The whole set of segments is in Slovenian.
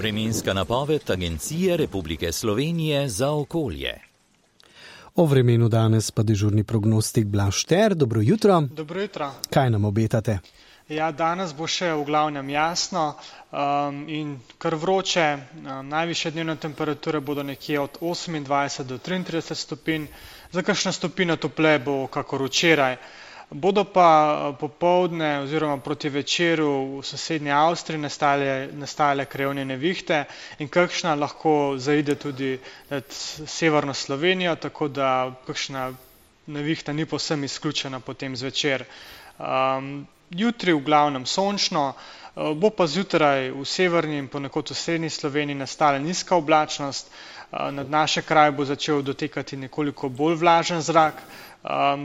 Vremenska napoved Agencije Republike Slovenije za okolje. O vremenu danes pa dežurni prognostik Blaž Šter. Dobro jutro. Dobro jutro. Kaj nam obetate? Ja, danes bo še v glavnem jasno in kar vroče. Najvišje dnevne temperature bodo nekje od 28 do 33 stopinj. Za kakšno stopinjo topleje bo kakor včeraj. Bodo pa popoldne oziroma proti večeru v sosednji Avstriji nastajale krajevne nevihte in kakšna lahko zaide tudi nad severno Slovenijo, tako da kakšna nevihta ni povsem izključena potem zvečer. Jutri v glavnem sončno, bo pa zjutraj v severni in ponekod v srednji Sloveniji nastala nizka oblačnost. Nad naše kraje bo začel dotekati nekoliko bolj vlažen zrak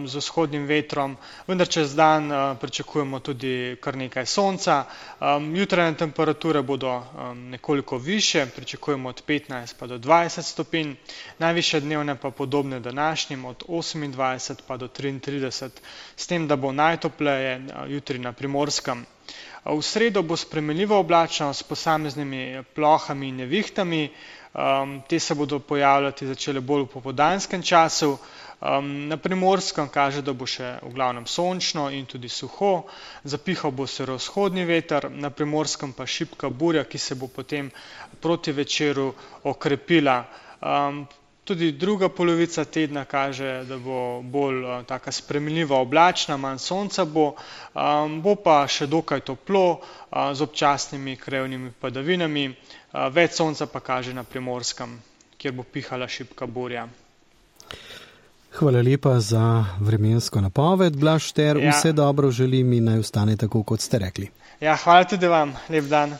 z vzhodnim vetrom, vendar čez dan pričakujemo tudi kar nekaj sonca. Jutranje temperature bodo nekoliko višje, pričakujemo od 15 pa do 20 stopinj, najvišje dnevne pa podobne današnjim od 28 pa do 33, s tem, da bo najtopleje jutri na Primorskem. V sredo bo spremenljiva oblačnost s posameznimi plohami in nevihtami. Te se bodo pojavljati začele bolj v popoldanskem času. Na Primorskem kaže, da bo še v glavnem sončno in tudi suho. Zapihal bo severovzhodni veter, na Primorskem pa šibka burja, ki se bo potem proti večeru okrepila. Tudi druga polovica tedna kaže, da bo bolj taka spremenljiva oblačna, manj sonca bo pa še dokaj toplo z občasnimi krajevnimi padavinami. Več sonca pa kaže na Primorskem, kjer bo pihala šibka burja. Hvala lepa za vremensko napoved, Blaž Šter. Vse dobro želim in naj ostane tako, kot ste rekli. Ja, hvala tudi vam. Lep dan.